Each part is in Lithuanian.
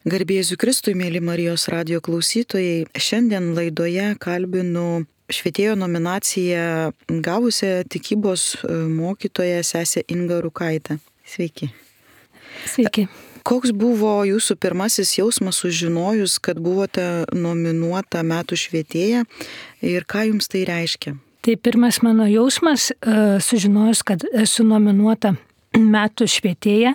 Garbė Jėzui Kristui, mėly Marijos radijo klausytojai, šiandien laidoje kalbinu švietėjo nominaciją gavusią tikybos mokytoją sesę Ingą Rukaitę. Sveiki. Sveiki. Koks buvo jūsų pirmasis jausmas sužinojus, kad buvote nominuota metų švietėja ir ką jums tai reiškia? Tai pirmas mano jausmas, sužinojus, kad esu nominuota metų švietėja,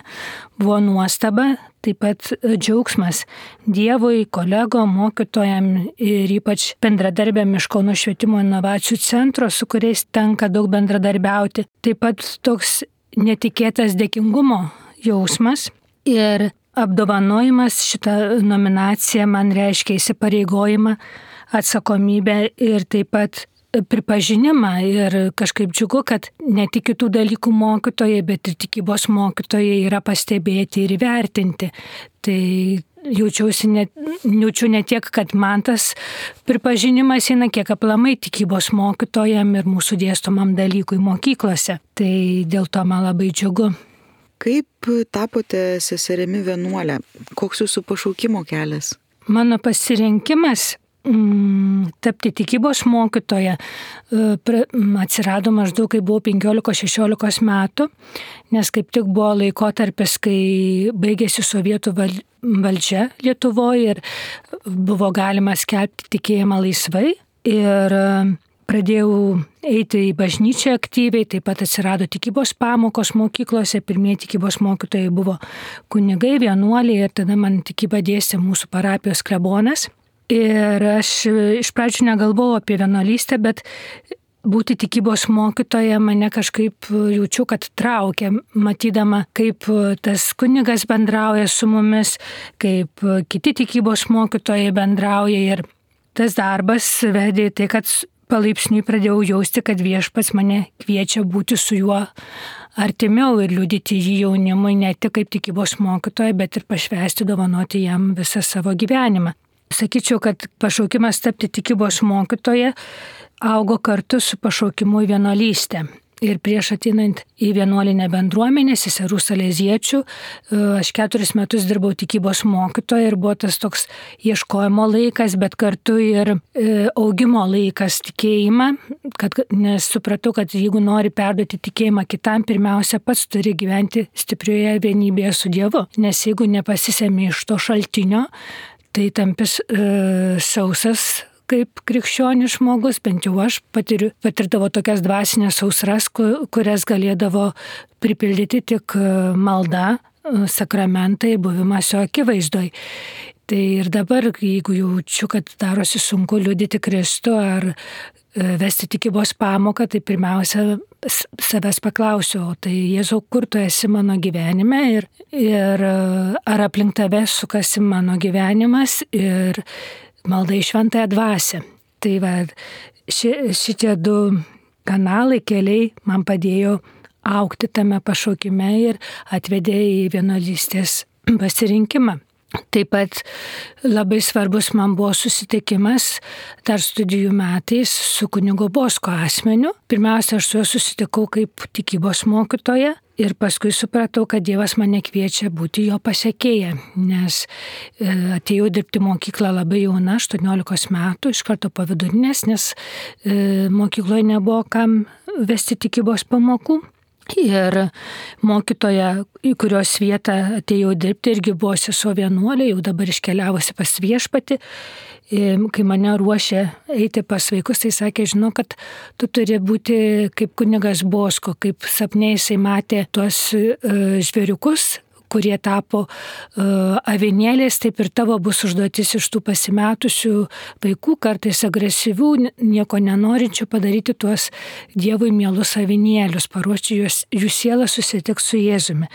buvo nuostaba, taip pat džiaugsmas Dievui, kolegom, mokytojam ir ypač bendradarbiam iš Kauno švietimo inovacijų centro, su kuriais tenka daug bendradarbiauti. Taip pat toks netikėtas dėkingumo jausmas ir apdovanojimas. Šitą nominaciją man reiškia įsipareigojimą, atsakomybę ir taip pat pripažinimą ir kažkaip džiugu, kad ne tik kitų dalykų mokytojai, bet ir tikybos mokytojai yra pastebėti ir įvertinti. Tai jaučiu ne tiek, kad man tas pripažinimas eina, kiek aplamai tikybos mokytojam ir mūsų dėstomam dalykui mokyklose. Tai dėl to man labai džiugu. Kaip tapote seserimi vienuolę? Koks jūsų pašaukimo kelias? Mano pasirinkimas tapti tikybos mokytoja atsirado maždaug, kai buvau 15-16 metų, nes kaip tik buvo laikotarpis, kai baigėsi sovietų valdžia Lietuvoje ir buvo galima skelbti tikėjimą laisvai. Ir pradėjau eiti į bažnyčią aktyviai, taip pat atsirado tikybos pamokos mokyklose, pirmieji tikybos mokytojai buvo kunigai, vienuoliai ir tada man tikybą dėstė mūsų parapijos klebonas. Ir aš iš pradžių negalvojau apie vienuolystę, bet būti tikybos mokytoja mane kažkaip jaučiu, kad traukia, matydama, kaip tas kunigas bendrauja su mumis, kaip kiti tikybos mokytojai bendrauja. Ir tas darbas vedė tai, kad palaipsniui pradėjau jausti, kad Viešpats mane kviečia būti su juo artimiau ir liudyti jį jaunimui ne tik kaip tikybos mokytoja, bet ir pašvęsti, dovanoti jam visą savo gyvenimą. Sakyčiau, kad pašaukimas tapti tikybos mokytoja augo kartu su pašaukimu į vienuolystę. Ir prieš ateinant į vienuolinę bendruomenę, seserų saleziečių, aš 4 metus dirbau tikybos mokytoja ir buvo tas toks ieškojimo laikas, bet kartu ir augimo laikas tikėjimą, nes supratau, kad jeigu nori perduoti tikėjimą kitam, pirmiausia pats turi gyventi stiprioje vienybėje su Dievu. Nes jeigu nepasisemi iš to šaltinio, tai tampis sausas kaip krikščionis žmogus, bent jau aš patirdavo tokias dvasinės sausras, kurias galėdavo pripildyti tik malda, sakramentai, buvimas jo akivaizdoj. Tai ir dabar, jeigu jaučiu, kad darosi sunku liudyti Kristų ar vesti tikybos pamoką, tai pirmiausia savęs paklausiu, tai Jėzau, kur tu esi mano gyvenime ir ar aplink tave sukasi mano gyvenimas ir malda į šventąją dvasią. Tai va, šitie 2 kanalai, keliai man padėjo augti tame pašaukime ir atvedė į vienuolystės pasirinkimą. Taip pat labai svarbus man buvo susitikimas dar studijų metais su kunigo Bosko asmeniu. Pirmiausia, aš su juo susitikau kaip tikybos mokytoja ir paskui supratau, kad Dievas mane kviečia būti jo pasekėja, nes atėjau dirbti mokyklą labai jauna, 18 metų, iš karto po vidurinės, nes mokykloje nebuvo kam vesti tikybos pamokų. Ir mokytoja, į kurios vietą atėjau dirbti, irgi buvo sesuo vienuolė, jau dabar iškeliavusi pas Viešpatį. Kai mane ruošė eiti pas vaikus, tai sakė, žinau, kad tu turi būti kaip kunigas Bosko, kaip sapne jisai matė tuos žvėriukus, kurie tapo avinėliais, taip ir tavo bus užduotis iš tų pasimetusių vaikų, kartais agresyvių, nieko nenorinčių, padaryti tuos Dievui mielus avinėlius, paruošti jų sielą susitiks su Jėzumi.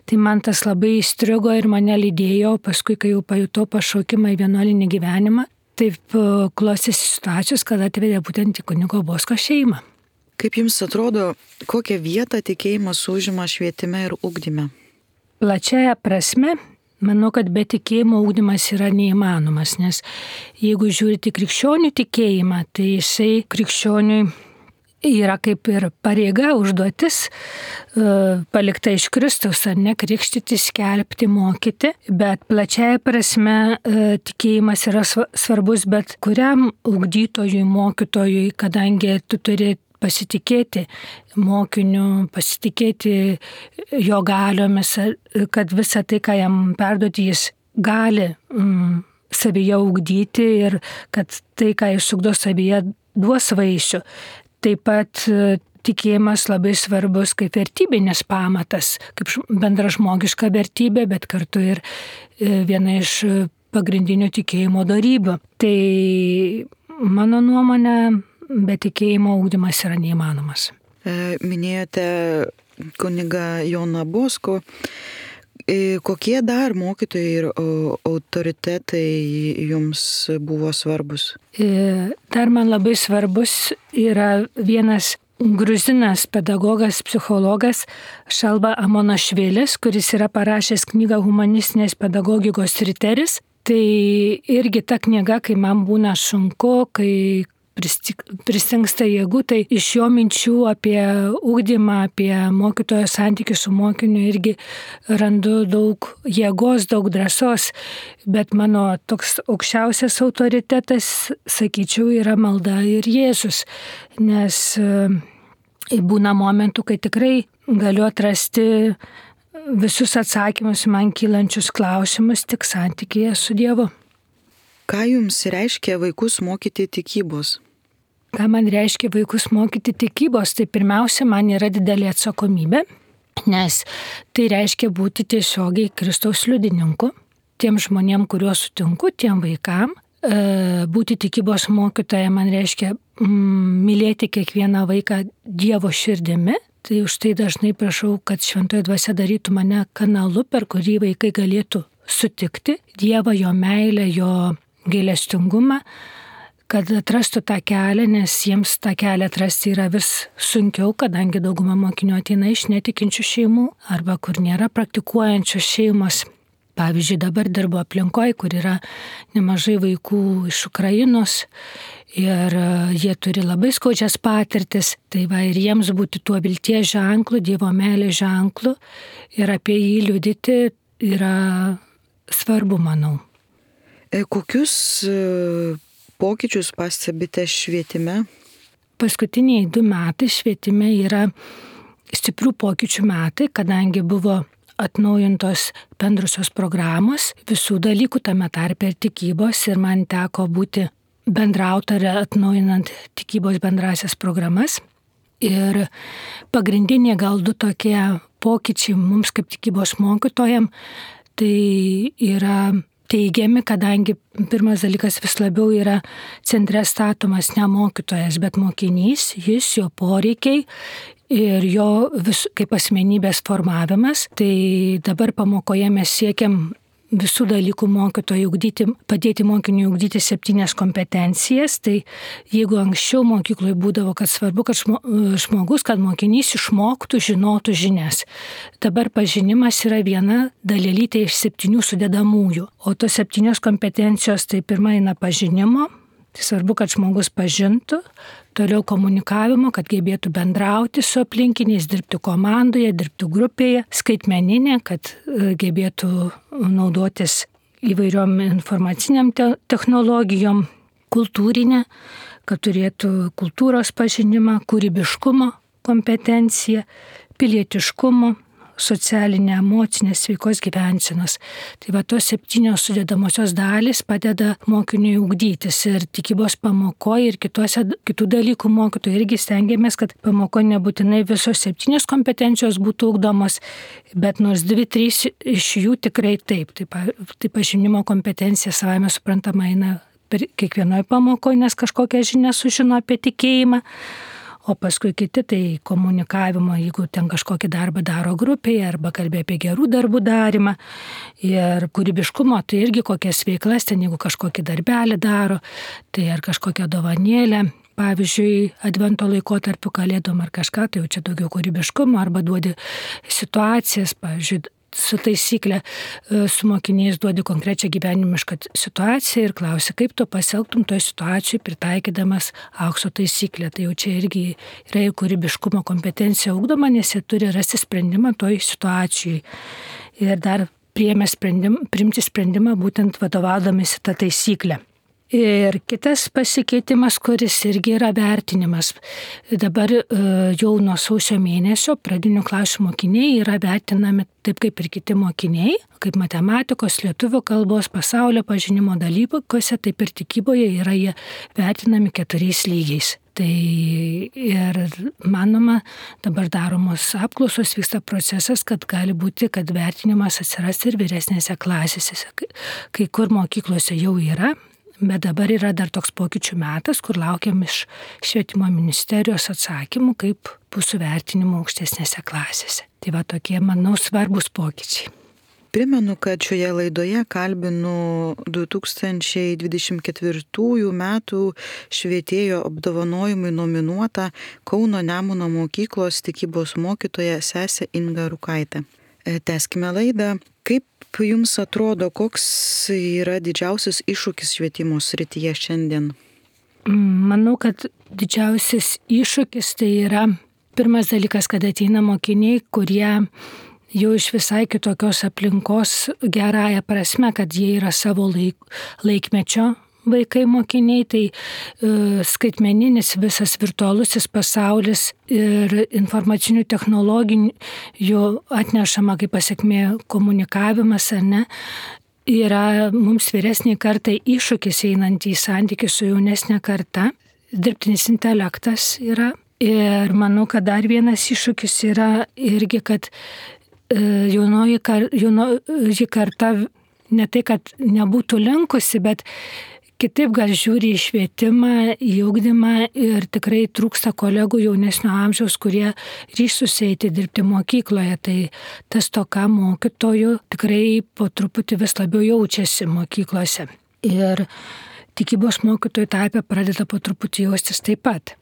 Tai man tas labai įstrigo ir mane lydėjo, paskui, kai jau pajutau pašaukimą į vienuolinį gyvenimą, taip klostėsi situacijos, kad atvedė būtent į kunigo Bosko šeimą. Kaip jums atrodo, kokią vietą tikėjimas užima švietime ir ugdyme? Plačiaja prasme, manau, kad be tikėjimo ugdymas yra neįmanomas, nes jeigu žiūrite krikščionių tikėjimą, tai jisai krikščioniui yra kaip ir pareiga, užduotis, palikta iš Kristaus, ar ne, krikštyti, skelbti, mokyti, bet plačiaja prasme tikėjimas yra svarbus bet kuriam ugdytojui, mokytojui, kadangi tu turi pasitikėti mokiniu, pasitikėti jo galiomis, kad visą tai, ką jam perduoti, jis gali savyje ugdyti ir kad tai, ką jis ugdo savyje, duos vaisių. Taip pat tikėjimas labai svarbus kaip vertybinis pamatas, kaip bendražmogiška vertybė, bet kartu ir viena iš pagrindinių tikėjimo dorybių. Tai mano nuomonė, be tikėjimo ugdymas yra neįmanomas. Minėjote kunigą Joną Boskų. Kokie dar mokytojai ir autoritetai jums buvo svarbus? Dar man labai svarbus yra vienas gruzinas pedagogas, psichologas Šalba Amonašvilis, kuris yra parašęs knygą Humanistinės pedagogikos riteris. Tai irgi ta knyga, kai man būna sunku, kai pristingsta jėgų, tai iš jo minčių apie ugdymą, apie mokytojo santykių su mokiniu irgi randu daug jėgos, daug drąsos, bet mano toks aukščiausias autoritetas, sakyčiau, yra malda ir Jėzus, nes būna momentų, kai tikrai galiu atrasti visus atsakymus man kylančius klausimus tik santykėje su Dievu. Ką jums reiškia vaikus mokyti tikybos? Ką man reiškia vaikus mokyti tikybos, tai pirmiausia, man yra didelė atsakomybė, nes tai reiškia būti tiesiogiai Kristaus liudininku, tiem žmonėm, kuriuos sutinku, tiem vaikam. Būti tikybos mokytoja man reiškia mylėti kiekvieną vaiką Dievo širdimi. Tai už tai dažnai prašau, kad Šventoji Dvasia darytų mane kanalu, per kurį vaikai galėtų sutikti Dievą, jo meilę, jo gailestingumą, kad atrastų tą kelią, nes jiems tą kelią atrasti yra vis sunkiau, kadangi dauguma mokinių ateina iš netikinčių šeimų arba kur nėra praktikuojančios šeimos. Pavyzdžiui, dabar dirbu aplinkoje, kur yra nemažai vaikų iš Ukrainos ir jie turi labai skaudžias patirtis. Tai va ir jiems būti tuo vilties ženklu, Dievo meilės ženklu ir apie jį liudyti yra svarbu, manau. Kokius pokyčius pastebite švietime? Paskutiniai 2 metai švietime yra stiprių pokyčių metai, kadangi buvo atnaujintos bendrusios programos, visų dalykų, tame tarpe ir tikybos, ir man teko būti bendrautorė atnaujinant tikybos bendrasias programas. Ir pagrindiniai gal 2 tokie pokyčiai mums kaip tikybos mokytojam, tai yra teigiami, kadangi pirmas dalykas vis labiau yra centre statomas ne mokytojas, bet mokinys, jis, jo poreikiai ir jo kaip asmenybės formavimas. Tai dabar pamokoje mes siekiam visų dalykų mokytojų ugdyti, padėti mokiniui ugdyti 7 kompetencijas. Tai jeigu anksčiau mokykloje būdavo, kad svarbu, kad žmogus, kad mokinys išmoktų, žinotų žinias. Dabar pažinimas yra viena dalelytė iš 7 sudedamųjų. O tos 7 kompetencijos, tai pirma eina pažinimo. Tai svarbu, kad žmogus pažintų, toliau komunikavimo, kad gebėtų bendrauti su aplinkiniais, dirbti komandoje, dirbti grupėje, skaitmeninė, kad gebėtų naudotis įvairiom informaciniam technologijom, kultūrinė, kad turėtų kultūros pažinimą, kūrybiškumo kompetenciją, pilietiškumo, socialinė, emocinė, sveikos gyvensenos. Tai va tos 7 sudedamosios dalys padeda mokiniui ugdytis ir tikybos pamokoje ir kitų dalykų mokytojų irgi stengiamės, kad pamokoje nebūtinai visos 7 kompetencijos būtų ugdomos, bet nors 2-3 iš jų tikrai taip. Tai pažinimo kompetencija savame suprantama eina per kiekvienoje pamokoje, nes kažkokią žinią sužino apie tikėjimą. O paskui kiti tai komunikavimo, jeigu ten kažkokį darbą daro grupėje arba kalbė apie gerų darbų darymą. Ir kūrybiškumo, tai irgi kokias veiklas ten, jeigu kažkokį darbelį daro, tai ar kažkokią dovanėlę. Pavyzdžiui, advento laikotarpiu kalėdom ar kažką, tai jau čia daugiau kūrybiškumo, arba duodi situacijas, pavyzdžiui, su taisyklė su mokiniais duodi konkrečią gyvenimišką situaciją ir klausi, kaip tu pasielgtum toje situacijoje pritaikydamas aukso taisyklę. Tai jau čia irgi yra kūrybiškumo kompetencija ugdoma, nes jie turi rasti sprendimą toje situacijoje. Ir dar priimti sprendimą būtent vadovaudomisi tą taisyklę. Ir kitas pasikeitimas, kuris irgi yra vertinimas. Dabar jau nuo sausio mėnesio pradinių klasių mokiniai yra vertinami taip kaip ir kiti mokiniai, kaip matematikos, lietuvių kalbos, pasaulio pažinimo dalykuose, taip ir tikyboje yra jie vertinami 4 lygiais. Tai ir manoma, dabar daromos apklausos, vyksta procesas, kad gali būti, kad vertinimas atsiras ir vyresnėse klasėse, kai kur mokyklose jau yra. Bet dabar yra dar toks pokyčių metas, kur laukiam iš švietimo ministerijos atsakymų, kaip bus su vertinimu aukštesnėse klasėse. Tai va tokie, manau, svarbus pokyčiai. Primenu, kad šioje laidoje kalbinu 2024 metų švietėjo apdovanojimui nominuotą Kauno Nemuno mokyklos tikybos mokytoją sesę Ingą Rukaitę. Tęskime laidą. Kaip jums atrodo, koks yra didžiausias iššūkis švietimo srityje šiandien? Manau, kad didžiausias iššūkis tai yra pirmas dalykas, kad ateina mokiniai, kurie jau iš visai kitokios aplinkos gerąją prasme, kad jie yra savo laikmečio vaikai mokiniai, tai skaitmeninis visas virtualusis pasaulis ir informacinių technologijų atnešama kaip pasekmė komunikavimas, ar ne, yra mums vyresniai kartai iššūkis einant į santykį su jaunesnė karta. Dirbtinis intelektas yra. Ir manau, kad dar vienas iššūkis yra irgi, kad jaunoji karta ne tai, kad nebūtų linkusi, bet kitaip gal žiūri į švietimą, į ugdymą ir tikrai trūksta kolegų jaunesnio amžiaus, kurie ryžtųsi eiti dirbti mokykloje. Tai tas toka mokytojų tikrai po truputį vis labiau jaučiasi mokyklose. Ir tikybos mokytojų tarpe pradeda po truputį jaustis taip pat.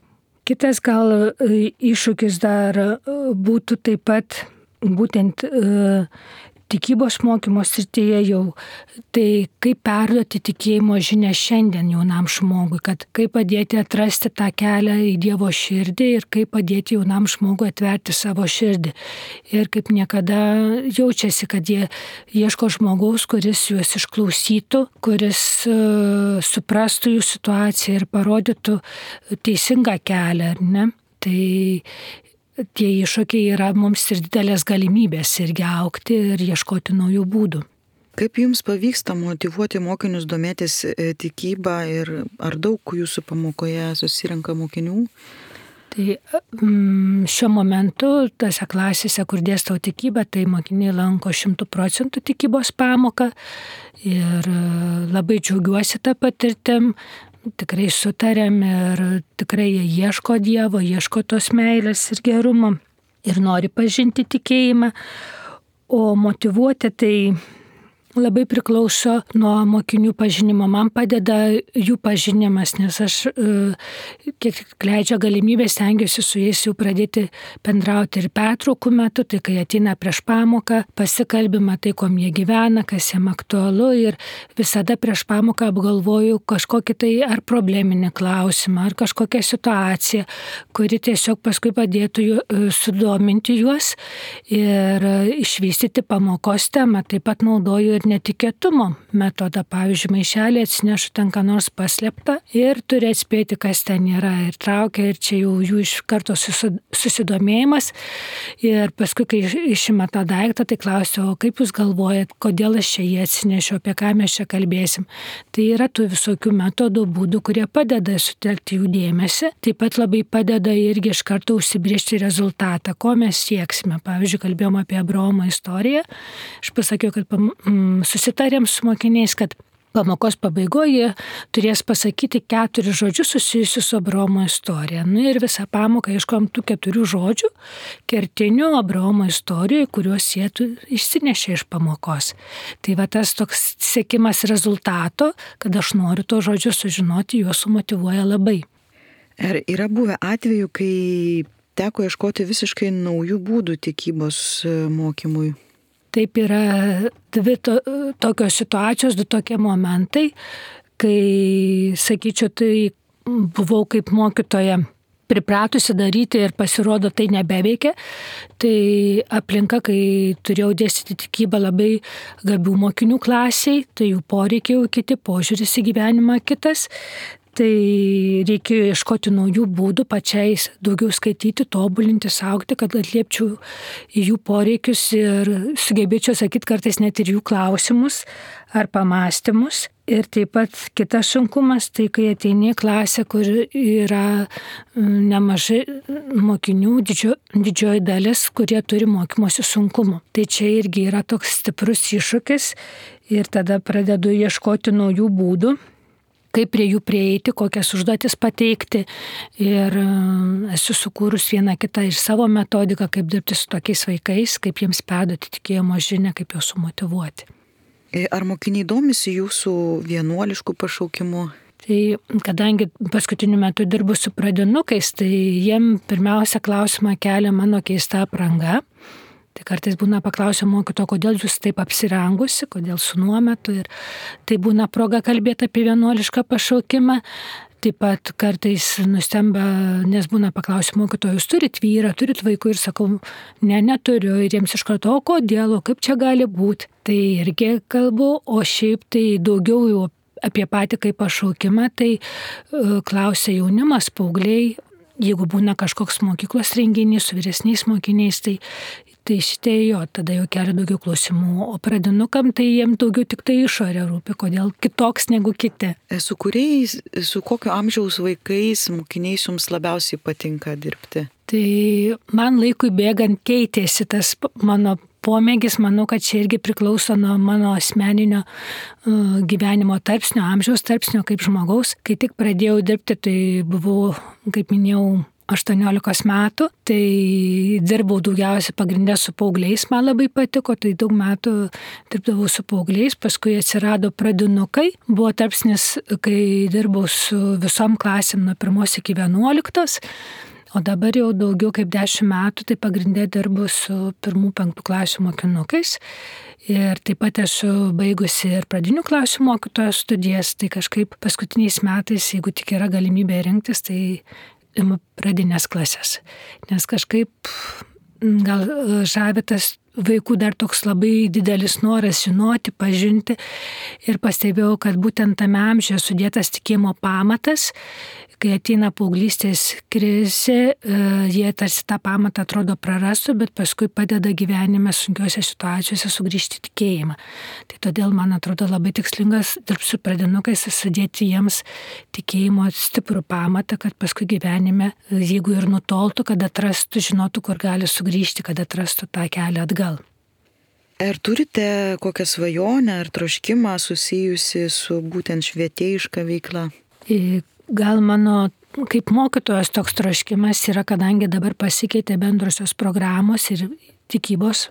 Kitas gal iššūkis dar būtų taip pat būtent tikybos mokymo srityje jau, tai kaip perduoti tikėjimo žinią šiandien jaunam žmogui, kad kaip padėti atrasti tą kelią į Dievo širdį ir kaip padėti jaunam žmogui atverti savo širdį. Ir kaip niekada jaučiasi, kad jie ieško žmogaus, kuris juos išklausytų, kuris suprastų jų situaciją ir parodytų teisingą kelią, ar ne? Tai tie iššūkiai yra mums ir didelės galimybės irgi augti ir ieškoti naujų būdų. Kaip jums pavyksta motyvuoti mokinius domėtis tikybą ir ar daug jūsų pamokoje susirenka mokinių? Tai šiuo momentu tose klasėse, kur dėstau tikybą, tai mokiniai lanko 100% tikybos pamoką ir labai džiaugiuosi tą patirtim. Tikrai sutarėm ir tikrai jie ieško Dievo, ieško tos meilės ir gerumo ir nori pažinti tikėjimą, o motyvuoti tai labai priklauso nuo mokinių pažinimo. Man padeda jų pažinimas, nes aš kiek leidžia galimybę stengiuosi su jais jau pradėti bendrauti ir pertraukų metu, tai kai ateina prieš pamoką, pasikalbima tai, kuom jie gyvena, kas jiem aktualu ir visada prieš pamoką apgalvoju kažkokį tai ar probleminį klausimą, ar kažkokią situaciją, kuri tiesiog paskui padėtų sudominti juos ir išvystyti pamokos temą. Taip pat naudoju ir netikėtumo metodą. Pavyzdžiui, maišelį atsinešu ten ką nors paslėptą ir turi atspėti, kas ten yra. Ir traukia, ir čia jau jų iš karto susidomėjimas. Ir paskui, kai išima tą daiktą, tai klausiu, o kaip jūs galvojat, kodėl aš čia jį atsinešiu, apie ką mes čia kalbėsim. Tai yra tų visokių metodų, būdų, kurie padeda sutelkti jų dėmesį. Taip pat labai padeda irgi iš karto užsibriežti rezultatą, ko mes sieksime. Pavyzdžiui, kalbėjom apie Abraomo istoriją. Aš pasakiau, kad susitarėm su mokiniais, kad pamokos pabaigoje turės pasakyti 4 žodžius susijusius su Abraomo istorija. Ir visą pamoką ieškom tų 4 žodžių kertinių Abraomo istorijoje, kuriuos jie išsinešė iš pamokos. Tai va tas toks siekimas rezultato, kad aš noriu to žodžiu sužinoti, juos sumotyvuoja labai. Ar yra buvę atvejų, kai teko ieškoti visiškai naujų būdų tikybos mokymui? taip yra dvi tokios situacijos, du tokie momentai, kai, sakyčiau, tai buvau kaip mokytoja pripratusi daryti ir pasirodo tai nebeveikia. Tai aplinka, kai turėjau dėstyti tikybą labai gabių mokinių klasiai, tai jų poreikiai kiti, požiūris į gyvenimą kitas. Tai reikėjo ieškoti naujų būdų pačiais daugiau skaityti, tobulinti, augti, kad atliepčiau į jų poreikius ir sugebėčiau sakyti kartais net ir jų klausimus ar pamąstymus. Ir taip pat kitas sunkumas, tai kai ateini į klasę, kur yra nemažai mokinių, didžioji dalis, kurie turi mokymosi sunkumų. Tai čia irgi yra toks stiprus iššūkis ir tada pradedu ieškoti naujų būdų, kaip prie jų prieiti, kokias užduotis pateikti. Ir esu sukūrus vieną kitą ir savo metodiką, kaip dirbti su tokiais vaikais, kaip jiems perduoti tikėjimo žinią, kaip juos sumotyvuoti. Ar mokiniai domisi jūsų vienuoliškų pašaukimų? Tai kadangi paskutiniu metu dirbu su pradinukais, tai jiem pirmiausia klausimą kelia mano keista apranga. Tai kartais būna paklausia mokytojo, kodėl jūs taip apsirengusi, kodėl su nuometu. Ir tai būna proga kalbėti apie vienuolišką pašaukimą. Taip pat kartais nustemba, nes būna paklausia mokytojo, jūs turit vyrą, turit vaikų ir sakau, neturiu. Ir jiems iš karto, o kodėl, o kaip čia gali būti. Tai irgi kalbu, o šiaip tai daugiau jau apie patį kaip pašaukimą, tai klausia jaunimas, paaugliai. Jeigu būna kažkoks mokyklos renginys su vyresniais mokiniais, tai šitie jo, tada jau kelia daugiau klausimų, o pradinukam tai jiems daugiau tik tai išorė rūpi, kodėl kitoks negu kiti. Su kokio amžiaus vaikais, mokiniais jums labiausiai patinka dirbti? Tai man laikui bėgant keitėsi tas mano pomėgis, manau, kad čia irgi priklauso nuo mano asmeninio gyvenimo tarpsnio, amžiaus tarpsnio kaip žmogaus. Kai tik pradėjau dirbti, tai buvau, kaip minėjau, 18 metų, tai dirbau daugiausiai pagrindę su paaugliais, man labai patiko, tai daug metų dirbdavau su paaugliais, paskui atsirado pradinukai, buvo tarpsnis, kai dirbau su visom klasėm nuo 1 iki 11, o dabar jau daugiau kaip 10 metų, tai pagrindė dirbu su 1-5 klasių mokinukais. Ir taip pat esu baigusi ir pradinių klasių mokytojo studijas, tai kažkaip paskutiniais metais, jeigu tik yra galimybė rinktis, tai imu pradinės klasės. Nes kažkaip gal žavitas vaikų dar toks labai didelis noras žinoti, pažinti. Ir pastebėjau, kad būtent tame amžiuje sudėtas tikėjimo pamatas, kai ateina paauglystės krizė, jie tarsi tą pamatą atrodo prarastų, bet paskui padeda gyvenime sunkiose situacijose sugrįžti tikėjimą. Tai todėl man atrodo labai tikslingas dirbti su pradinukais, sudėti jiems tikėjimo stiprų pamatą, kad paskui gyvenime, jeigu ir nutoltų, kad atrastų, žinotų, kur gali sugrįžti, kad atrastų tą kelią atgal. Ar turite kokią svajonę ar troškimą susijusi su būtent švietėjiška veikla? Gal mano kaip mokytojos toks troškimas yra, kadangi dabar pasikeitė bendrosios programos ir tikybos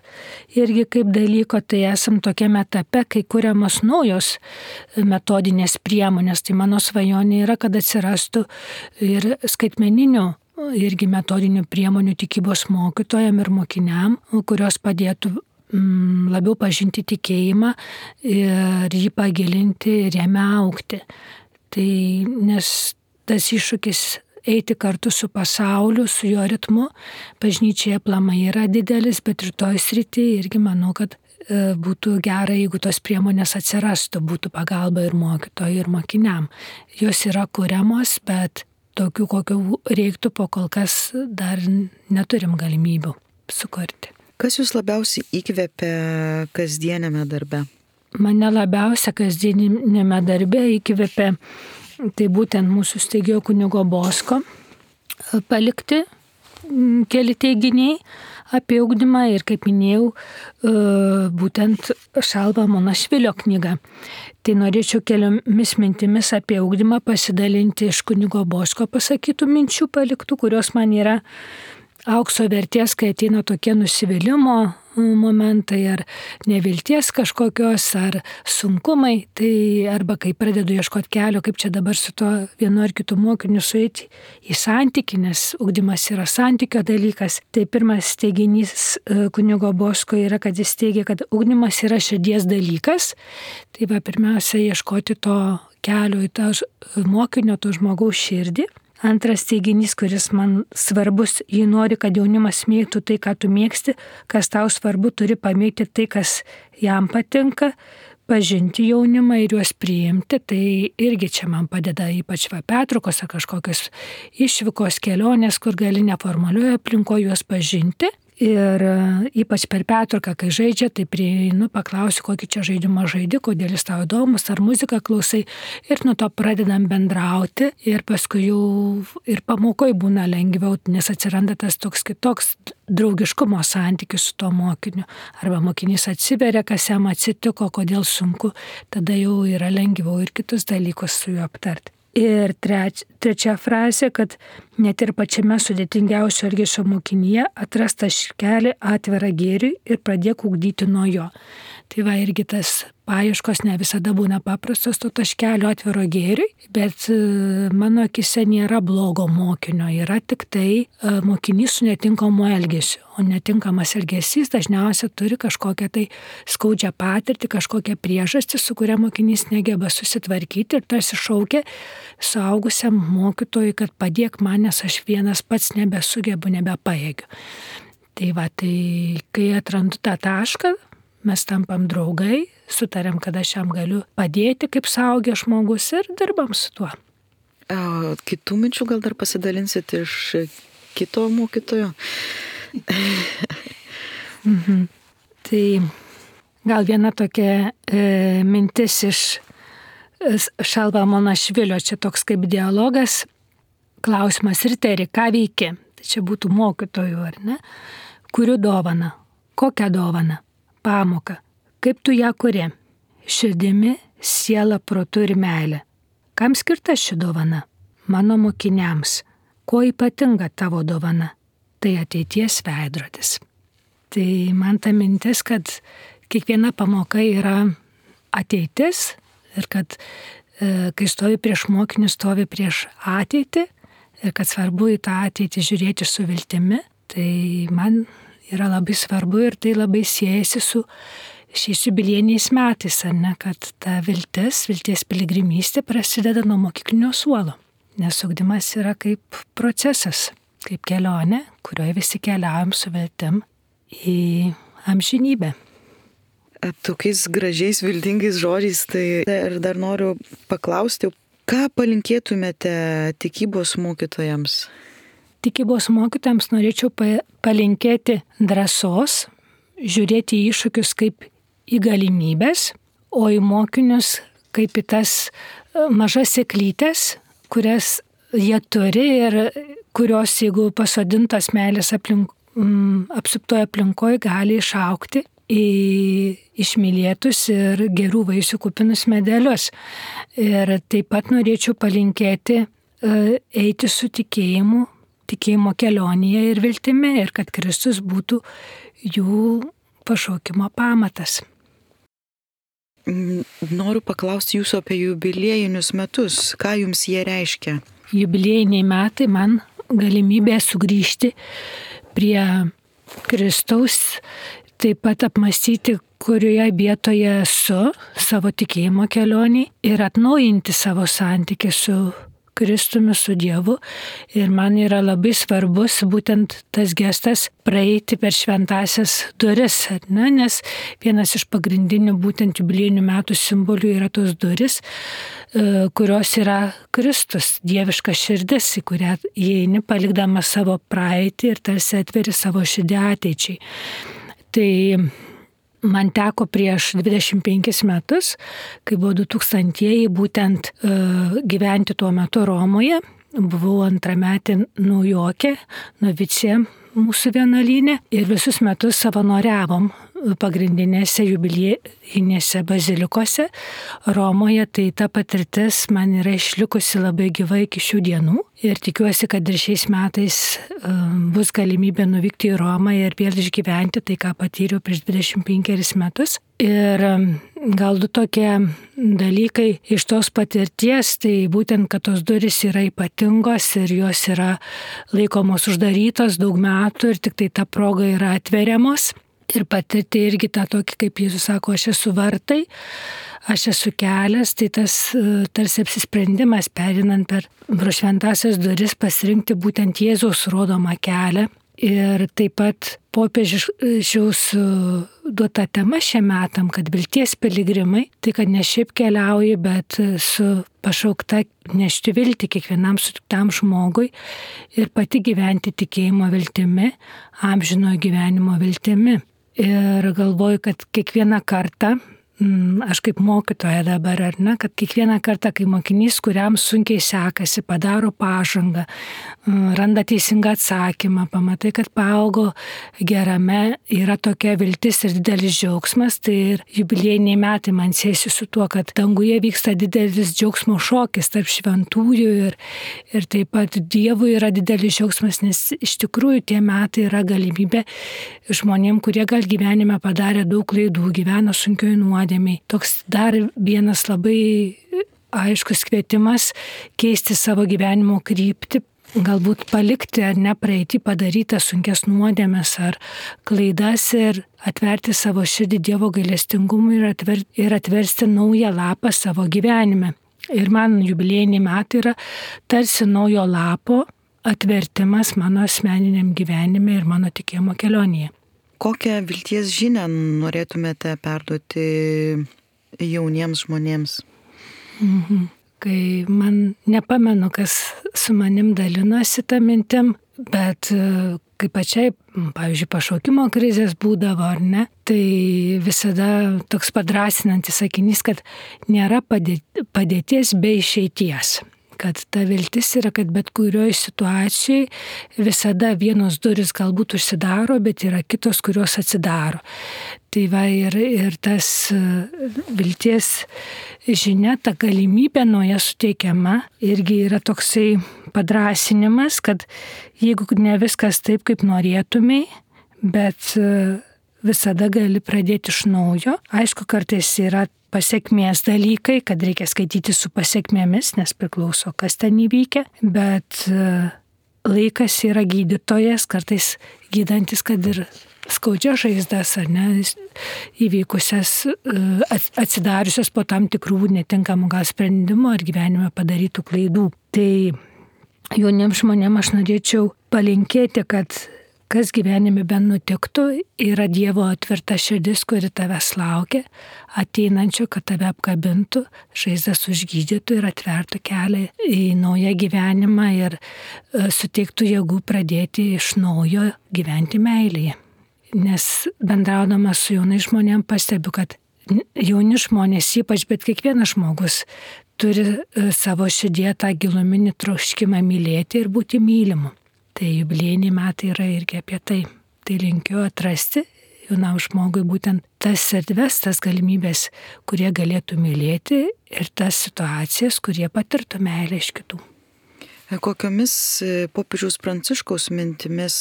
irgi kaip dalyko, tai esam tokiame etape, kai kuriamos naujos metodinės priemonės. Tai mano svajonė yra, kad atsirastų ir skaitmeninių irgi metodinių priemonių tikybos mokytojam ir mokiniam, kurios padėtų labiau pažinti tikėjimą ir jį pagilinti ir jame augti. Tai nes tas iššūkis eiti kartu su pasauliu, su jo ritmu, bažnyčioje aplamai yra didelis, bet ir toj srityje irgi manau, kad būtų gerai, jeigu tos priemonės atsirastų, būtų pagalba ir mokytojui, ir mokiniam. Jos yra kuriamos, bet tokių, kokių reiktų, po kol kas dar neturim galimybių sukurti. Kas jūs labiausiai įkvepia kasdienėme darbe? Mane labiausia kasdienėme darbe įkvepia tai būtent mūsų steigėjo kunigo Bosko palikti keli teiginiai apie ugdymą ir, kaip minėjau, būtent Šalva Monašvilio knyga. Tai norėčiau keliomis mintimis apie ugdymą pasidalinti iš kunigo Bosko pasakytų minčių paliktų, kurios man yra aukso vertės, kai ateina tokie nusivylimo momentai ar nevilties kažkokios, ar sunkumai, tai arba kai pradedu ieškoti kelio, kaip čia dabar su tuo vienu ar kitu mokiniu sueiti į santykį, nes ugdymas yra santykio dalykas. Tai pirmas teiginys kunigo Bosko yra, kad jis teigia, kad ugdymas yra širdies dalykas. Tai va, pirmiausia, ieškoti to kelio į tą mokinio, to žmogaus širdį. Antras teiginys, kuris man svarbus, jį nori, kad jaunimas mėgtų tai, ką tu mėgsti, kas tau svarbu, turi pamėgti tai, kas jam patinka, pažinti jaunimą ir juos priimti. Tai irgi čia man padeda ypač pertraukos ar kažkokios išvykos kelionės, kur gali neformalioje aplinkoje juos pažinti. Ir ypač per pertrauką, kai žaidžia, tai prieinu, paklausiu, kokį čia žaidimą žaidi, kodėl jis tau įdomus, ar muziką klausai. Ir nuo to pradedam bendrauti ir paskui jau ir pamokoj būna lengviau, nes atsiranda tas toks kitoks draugiškumo santykis su tuo mokiniu. Arba mokinys atsiveria, kas jam atsitiko, kodėl sunku, tada jau yra lengviau ir kitus dalykus su juo aptarti. Ir trečia frazė, kad net ir pačiame sudėtingiausio elgesio mokinyje atras taškelį atvirą gėriui ir pradėk ugdyti nuo jo. Tai va, irgi tas paieškos ne visada būna paprastos to taškelio atviro gėriui, bet mano akise nėra blogo mokinio, yra tik tai mokinys su netinkamu elgesiu. O netinkamas elgesys dažniausiai turi kažkokią tai skaudžią patirtį, kažkokią priežastį, su kuria mokinys negeba susitvarkyti ir tarsi šaukia suaugusiam mokytojui, kad padėk man, nes aš vienas pats nebesugebu, nebepajėgiu. Tai va, tai kai atrandu tą tašką, mes tampam draugai, sutariam, kad aš jam galiu padėti kaip suaugęs žmogus ir dirbam su tuo. Kitų minčių gal dar pasidalinsit iš kito mokytojo? Tai gal viena tokia mintis iš Šalva Monašvilio, čia toks kaip dialogas, klausimas: Riteri, ką veiki? Tai čia būtų mokytojų, ar ne? Kuriu dovaną. Kokią dovaną? Pamoką. Kaip tu ją kuri? Širdimi, siela, protu ir meilė. Kam skirta ši dovana? Mano mokiniams. Kuo ypatinga tavo dovana? Tai ateities veidrodis. Tai man ta mintis, kad kiekviena pamoka yra ateitis ir kad kai stovi prieš mokinį, stovi prieš ateitį ir kad svarbu į tą ateitį žiūrėti su viltimi, tai man yra labai svarbu ir tai labai siejasi su šiais jubiliejiniais metais, ar ne, kad ta vilties piligrimystė prasideda nuo mokyklinio suolo, nes ugdymas yra kaip procesas, kaip kelionė, kurioje visi keliaujam su viltim į amžinybę. Tokiais gražiais, viltingais žodžiais, tai ir dar noriu paklausti, ką palinkėtumėte tikybos mokytojams? Tikybos mokytojams norėčiau palinkėti drąsos, žiūrėti į iššūkius kaip į galimybės, o į mokinius kaip į tas mažas sėklytes, kurias jie turi ir kurios, jeigu pasodintos meilės apsuptoje aplinkoje, gali išaugti į išmylėtus ir gerų vaisių kupinus medelius. Ir taip pat norėčiau palinkėti eiti su tikėjimu, tikėjimo kelionėje ir viltimi, ir kad Kristus būtų jų pašaukimo pamatas. Noriu paklausti jūsų apie jubiliejinius metus. Ką jums jie reiškia? Jubiliejiniai metai man galimybė sugrįžti prie Kristaus, taip pat apmąstyti, kurioje vietoje esu savo tikėjimo kelionį ir atnaujinti savo santykį su Kristumi, su Dievu. Ir man yra labai svarbus būtent tas gestas praeiti per šventąsias duris, ne? Nes vienas iš pagrindinių būtent jubiliejinių metų simbolių yra tos duris, kurios yra Kristus, dieviška širdis, į kurią įeini palikdamas savo praeitį ir tarsi atveri savo širdį ateičiai. Tai man teko prieš 25 metus, kai buvo 2000-ieji, būtent gyventi tuo metu Romoje. Buvau antrametė naujokė, novicė mūsų vienuolyne ir visus metus savanoriavom pagrindinėse jubiliejinėse bazilikose Romoje, tai ta patirtis man yra išlikusi labai gyva iki šių dienų ir tikiuosi, kad ir šiais metais bus galimybė nuvykti į Romą ir vėl išgyventi tai, ką patyriau prieš 25 metus. Ir gal du tokie dalykai iš tos patirties, tai būtent, kad tos durys yra ypatingos ir jos yra laikomos uždarytos daug metų ir tik tai ta proga yra atveriamos. Ir patirti irgi tą tokį, kaip Jėzus sako, aš esu vartai, aš esu kelias, tai tas tarsi apsisprendimas perinant per šventąsias duris pasirinkti būtent Jėzaus rodomą kelią. Ir taip pat popiežiaus duota tema šiam metam, kad vilties piligrimai, tai kad ne šiaip keliauji, bet su pašaukta nešti viltį kiekvienam sutiktam žmogui ir pati gyventi tikėjimo viltimi, amžinojo gyvenimo viltimi. Ir galvoju, kad kiekvieną kartą, aš kaip mokytoja dabar, ar ne, kad kiekvieną kartą, kai mokinys, kuriam sunkiai sekasi, padaro pažangą, randa teisingą atsakymą, pamatai, kad paaugo gerame, yra tokia viltis ir didelis džiaugsmas, tai ir jubiliejiniai metai man siejasi su tuo, kad danguje vyksta didelis džiaugsmo šokis tarp šventųjų ir taip pat Dievui yra didelis džiaugsmas, nes iš tikrųjų tie metai yra galimybė žmonėm, kurie gal gyvenime padarė daug klaidų, gyveno sunkioj nuodėmėj. Toks dar vienas labai aiškus kvietimas keisti savo gyvenimo kryptį, galbūt palikti ar nepraeiti padarytas sunkias nuodėmes ar klaidas ir atverti savo širdį Dievo gailestingumui ir atversti naują lapą savo gyvenime. Ir man jubiliejiniai metai yra tarsi naujo lapo atvertimas mano asmeniniam gyvenime ir mano tikėjimo kelionėje. Kokią vilties žinią norėtumėte perduoti jauniems žmonėms? Kai man nepamenu, kas su manim dalinosi tą mintim, bet kai pačiai, pavyzdžiui, pašaukimo krizės būdavo ar ne, tai visada toks padrasinantis sakinys, kad nėra padėties be išeities. Kad ta viltis yra, kad bet kurioje situacijoje visada vienos duris galbūt užsidaro, bet yra kitos, kurios atsidaro. Tai va ir tas vilties žinia, ta galimybė nauja suteikiama, irgi yra toksai padrasinimas, kad jeigu ne viskas taip, kaip norėtumai, bet visada gali pradėti iš naujo. Aišku, kartais yra pasiekmės dalykai, kad reikia skaityti su pasiekmėmis, nes priklauso, kas ten įvykia, bet laikas yra gydytojas, kartais gydantis, kad ir skaudžias žaizdas, ar ne, įvykusias, atsidariusias po tam tikrų netinkamų gal sprendimų ar gyvenime padarytų klaidų. Tai jauniems žmonėms aš norėčiau palinkėti, kad kas gyvenime bent nutiktų, yra Dievo atverta širdis, kuri tavęs laukia, ateinančio, kad tave apkabintų, žaizdas užgydytų ir atvertų kelią į naują gyvenimą ir suteiktų jėgų pradėti iš naujo gyventi meilėje. Nes bendraudamas su jaunais žmonėms pastebiu, kad jauni žmonės, ypač, bet kiekvienas žmogus turi savo širdyje tą giluminį troškimą mylėti ir būti mylimu. Tai jubiliejiniai metai yra irgi apie tai. Tai linkiu atrasti jaunam žmogui būtent tas erdves, tas galimybės, kurie galėtų mylėti ir tas situacijas, kurie patirtų meilę iš kitų. Kokiomis popiežiaus Pranciškaus mintimis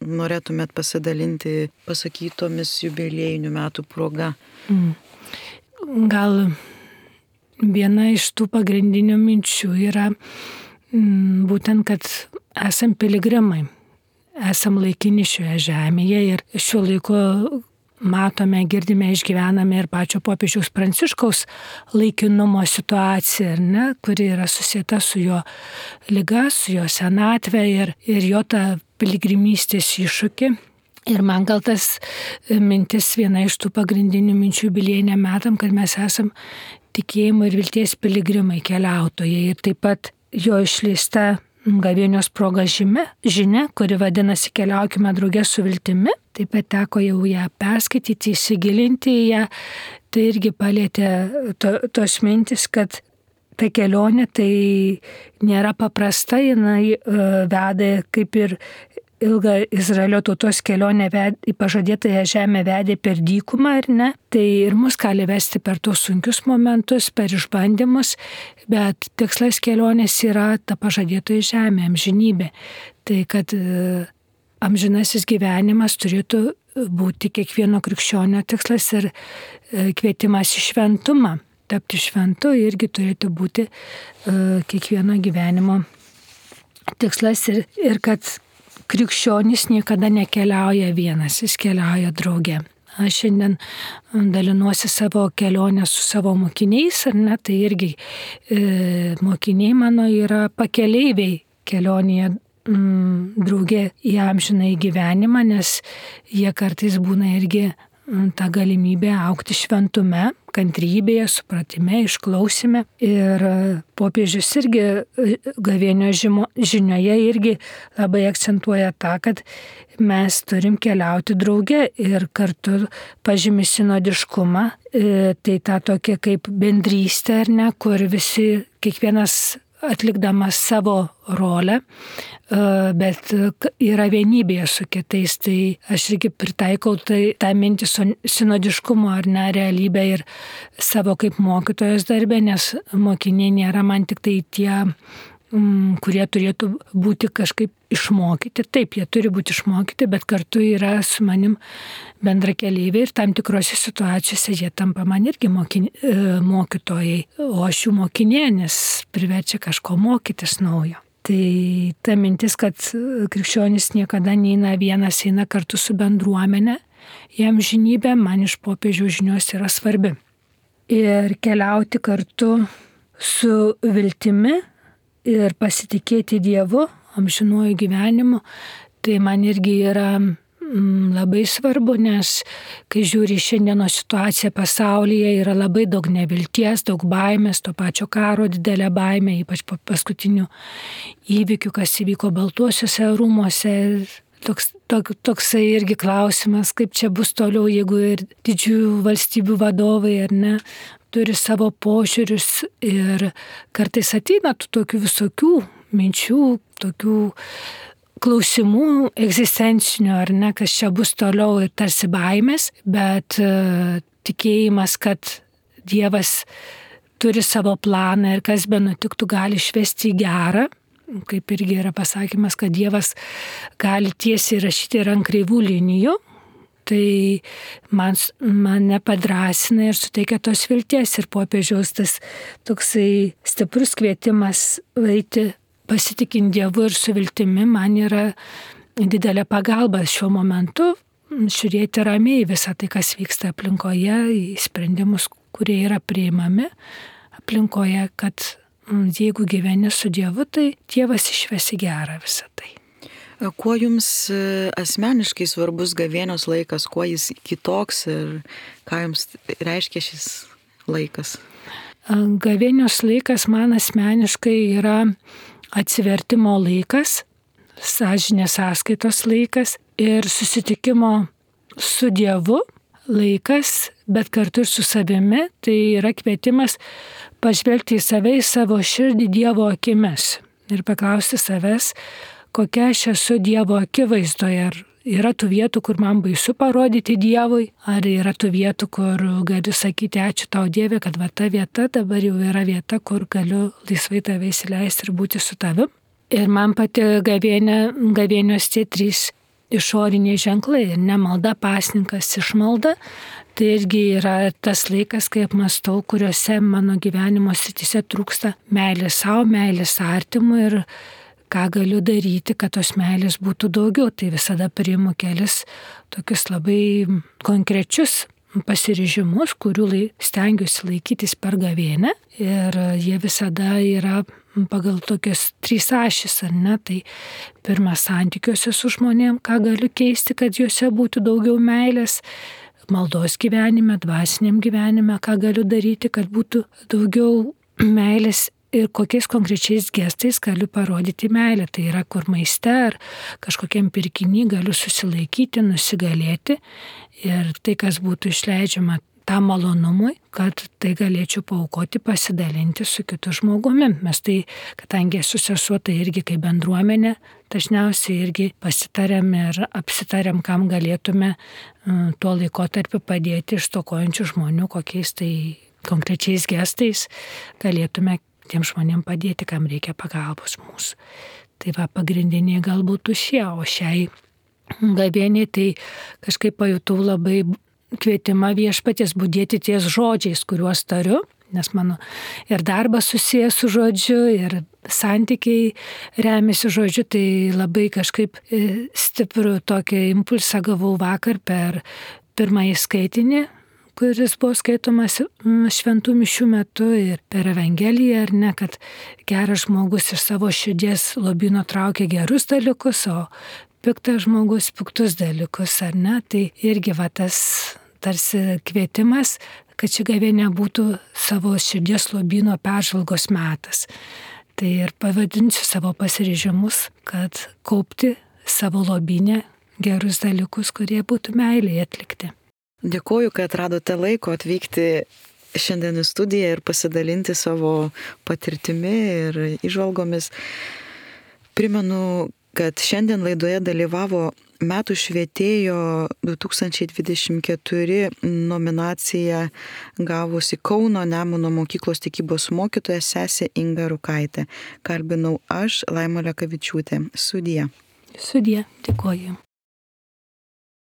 norėtumėt pasidalinti pasakytomis jubiliejinių metų proga? Gal viena iš tų pagrindinių minčių yra būtent, kad esam piligrimai, esam laikini šioje žemėje ir šiuo laiku matome, girdime, išgyvename ir pačio popiežiaus Pranciškaus laikinumo situaciją, ne, kuri yra susieta su jo liga, su jo senatve ir jo tą piligrimystės iššūkį. Ir man gal tas mintis viena iš tų pagrindinių minčių jubiliejiniam metam, kad mes esam tikėjimo ir vilties piligrimai, keliautojai ir taip pat jo išleista gavėnios proga žinia, kuri vadinasi Keliaukime drauge su viltimi. Taip pat teko jau ją perskaityti, įsigilinti į ją. Tai irgi palietė tos mintis, kad ta kelionė tai nėra paprasta, jinai veda kaip ir ilgą Izraelio tautos kelionę į pažadėtąją žemę vedė per dykumą, ar ne? Tai ir mus gali vesti per tos sunkius momentus, per išbandymus, bet tikslas kelionės yra ta pažadėtoji žemė, amžinybė. Tai kad amžinasis gyvenimas turėtų būti kiekvieno krikščionio tikslas ir kvietimas į šventumą. Tapti šventu irgi turėtų būti kiekvieno gyvenimo tikslas ir kad krikščionis niekada nekeliauja vienas, jis keliauja drauge. Aš šiandien dalinuosi savo kelionę su savo mokiniais, ar ne, tai irgi mokiniai mano yra pakeleiviai kelionėje drauge į amžiną į gyvenimą, nes jie kartais būna irgi tą galimybę augti šventume, kantrybėje, supratime, išklausime. Ir popiežius irgi gavėnio žinioje irgi labai akcentuoja tą, kad mes turim keliauti drauge ir kartu pažymi sinodiškumą, tai tą tokia kaip bendrystė, ar ne, kur visi, kiekvienas atlikdamas savo rolę, bet yra vienybėje su kitais. Tai aš irgi pritaikau tą mintį sinodiškumo ar ne realybę ir savo kaip mokytojos darbę, nes mokiniai nėra man tik tai tie, kurie turėtų būti kažkaip išmokyti. Taip, jie turi būti išmokyti, bet kartu yra su manim bendra keleiviai ir tam tikrose situacijose jie tampa man irgi mokytojai, o aš jų mokinė, nes priverčia kažko mokytis naujo. Tai ta mintis, kad krikščionis niekada neina vienas, eina kartu su bendruomenė, jam žinybė man iš popiežiaus žinios yra svarbi. Ir keliauti kartu su viltimi ir pasitikėti Dievu, amžinuoju gyvenimu, tai man irgi yra labai svarbu, nes kai žiūri šiandienos situaciją pasaulyje, yra labai daug nevilties, daug baimės, to pačio karo didelė baimė, ypač po paskutinių įvykių, kas įvyko Baltuosiuose rūmuose. Toksai irgi klausimas, kaip čia bus toliau, jeigu ir didžiųjų valstybių vadovai, ar ne, turi savo požiūrius ir kartais ateina tokių visokių minčių, tokių klausimų egzistencinių, ar ne, kas čia bus toliau ir tarsi baimės, bet tikėjimas, kad Dievas turi savo planą ir kas be nutiktų gali išvesti į gerą, kaip irgi yra pasakymas, kad Dievas gali tiesiai rašyti ir ant kreivų linijų. Tai mane padrasina ir suteikia tos vilties ir popiežiaus tas toksai stiprus kvietimas eiti pasitikint Dievu ir su viltimi man yra didelė pagalba šiuo momentu žiūrėti ramiai visą tai, kas vyksta aplinkoje, į sprendimus, kurie yra priimami aplinkoje, kad jeigu gyveni su Dievu, tai Dievas išves į gerą visą tai. Kuo jums asmeniškai svarbus gavėnios laikas, kuo jis kitoks ir ką jums reiškia šis laikas? Gavėnios laikas man asmeniškai yra atsivertimo laikas, sąžinės sąskaitos laikas ir susitikimo su Dievu laikas, bet kartu ir su savimi. Tai yra kvietimas pažvelgti į save, į savo širdį Dievo akimis ir paklausti savęs, kokia aš esu Dievo akivaizdoje. Ar yra tų vietų, kur man baisu parodyti Dievui, ar yra tų vietų, kur galiu sakyti ačiū tau Dieve, kad va ta vieta dabar jau yra vieta, kur galiu laisvai tave įsileisti ir būti su tavim. Ir man pati gavėnios tie 3 išoriniai ženklai, ne malda, pasninkas, išmalda. Tai irgi yra tas laikas, kai apmastau, kuriuose mano gyvenimo srityse trūksta meilės savo, meilės artimui ir ką galiu daryti, kad tos meilės būtų daugiau. Tai visada priimu kelis tokius labai konkrečius pasiryžimus, kurių stengiuosi laikytis per gavėnią. Ir jie visada yra pagal tokias 3 ašis, ar ne? Tai pirmas, santykiuose su žmonėm, ką galiu keisti, kad juose būtų daugiau meilės. Maldos gyvenime, dvasiniam gyvenime, ką galiu daryti, kad būtų daugiau meilės. Ir kokiais konkrečiais gestais galiu parodyti meilę. Tai yra, kur maiste ar kažkokiam pirkiny galiu susilaikyti, nusigalėti. Ir tai, kas būtų išleidžiama tam malonumui, kad tai galėčiau paaukoti, pasidalinti su kitu žmogumi. Mes tai, kadangi esu sesuo, tai irgi kaip bendruomenė, dažniausiai irgi pasitarėm ir apsitarėm, kam galėtume tuo laikotarpiu padėti stokojančių žmonių, kokiais tai konkrečiais gestais galėtume tiem žmonėm padėti, kam reikia pagalbos mūsų. Tai va, pagrindiniai galbūt šie, o šiai gavėniai tai kažkaip pajutau labai kvietimą viešpaties budėti ties žodžiais, kuriuos tariu, nes mano ir darbas susijęs su žodžiu, ir santykiai remiasi žodžiu, tai labai kažkaip stiprų tokį impulsą gavau vakar per pirmąjį skaitinį, kuris buvo skaitomas šventų mišių metu ir per Evangeliją, ar ne, kad geras žmogus iš savo širdies lobyno traukia gerus dalykus, o piktas žmogus piktus dalykus, ar ne, tai irgi va tas tarsi kvietimas, kad ši gavėnia būtų savo širdies lobyno peržvalgos metas. Tai ir pavadinsiu savo pasiryžimus, kad kaupti savo lobyne gerus dalykus, kurie būtų meiliai atlikti. Dėkuoju, kad radote laiko atvykti šiandien į studiją ir pasidalinti savo patirtimi ir įžvalgomis. Primenu, kad šiandien laidoje dalyvavo Metų švietėjo 2024 nominaciją gavusi Kauno Nemuno mokyklos tikybos mokytoja sesė Inga Rukaitė. Kalbinau aš, Laima Lekavičiūtė. Sudie. Sudie, dėkuoju.